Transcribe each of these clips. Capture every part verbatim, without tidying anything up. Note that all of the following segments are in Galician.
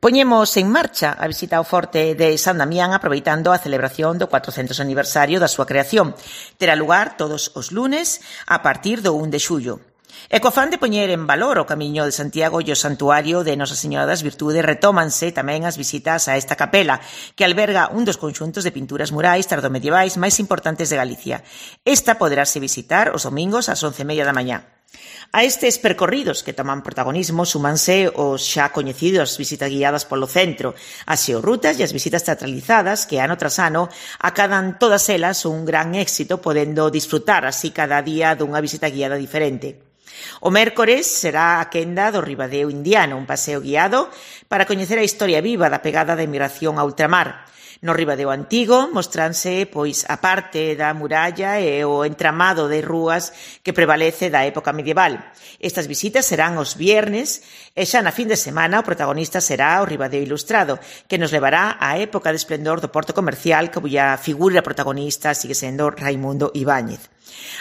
Poñemos en marcha a visita ao Forte de San Damián aproveitando a celebración do cuatrocentos aniversario da súa creación. Terá lugar todos os lunes a partir do un de xullo. E co afán de poñer en valor o Camiño de Santiago e o Santuario de Nosa Señora das Virtudes, retómanse tamén as visitas a esta capela, que alberga un dos conxuntos de pinturas murais tardomedievais máis importantes de Galicia. Esta poderase visitar os domingos ás once e media da mañá. A estes percorridos que toman protagonismo súmanse os xa coñecidos visitas guiadas polo centro, as xeorrutas e as visitas teatralizadas que ano tras ano acadan todas elas un gran éxito, podendo disfrutar así cada día dunha visita guiada diferente. O mércores será a quenda do Ribadeo Indiano, un paseo guiado para coñecer a historia viva da pegada da emigración a ultramar. No Ribadeo Antigo mostranse pois a parte da muralla e o entramado de rúas que prevalece da época medieval. Estas visitas serán os viernes e xa na fin de semana o protagonista será o Ribadeo Ilustrado, que nos levará á época de esplendor do porto comercial, cuya figura protagonista sigue sendo Raimundo Ibáñez.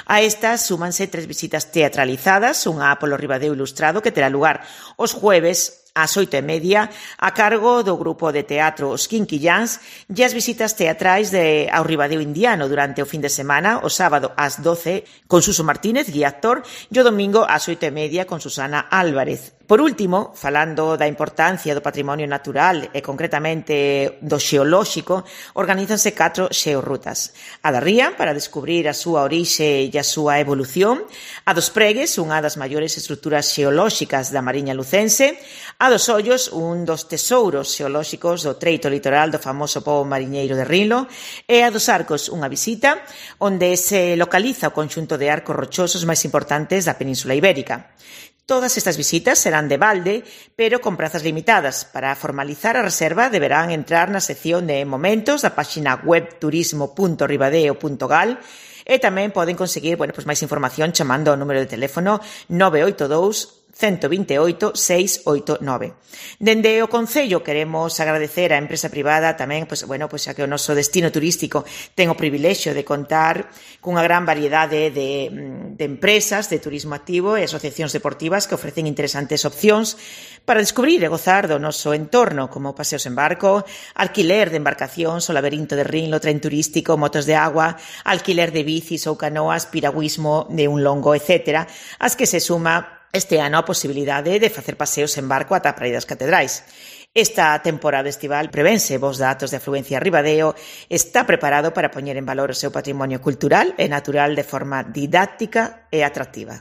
A estas súmanse tres visitas teatralizadas, unha polo Ribadeo Ilustrado que terá lugar os jueves ás oito e media, a cargo do grupo de teatro Os Quinquillans, e as visitas teatrais de, ao Ribadeo Indiano durante o fin de semana, o sábado ás doce, con Suso Martínez, guía actor, e o domingo ás oito e media con Susana Álvarez. Por último, falando da importancia do patrimonio natural e concretamente do xeolóxico, organízanse catro xeorrutas. A da Ría, para descubrir a súa orixe e a súa evolución, a dos Pregues, unha das maiores estruturas xeolóxicas da Mariña Lucense, a dos Ollos, un dos tesouros xeolóxicos do treito litoral do famoso pobo mariñeiro de Rinlo, e a dos Arcos, unha visita onde se localiza o conxunto de arcos rochosos máis importantes da Península Ibérica. Todas estas visitas serán de balde, pero con prazas limitadas. Para formalizar a reserva deberán entrar na sección de momentos da páxina web turismo punto ribadeo punto gal e tamén poden conseguir, bueno, pues máis información chamando ao número de teléfono nove oito dous, uno dos oito, seis oito nove. Dende o Concello queremos agradecer á empresa privada tamén, pois, bueno, pois xa que o noso destino turístico ten o privilexio de contar cunha gran variedade de, de empresas de turismo activo e asociacións deportivas que ofrecen interesantes opcións para descubrir e gozar do noso entorno, como paseos en barco, alquiler de embarcacións, o laberinto de Rinlo, tren turístico, motos de agua, alquiler de bicis ou canoas, piragüismo de un longo, etcétera, as que se suma este ano a posibilidade de facer paseos en barco ata a Praia das Catedrais. Esta temporada estival prevense vos datos de afluencia a Ribadeo, está preparado para poñer en valor o seu patrimonio cultural e natural de forma didáctica e atractiva.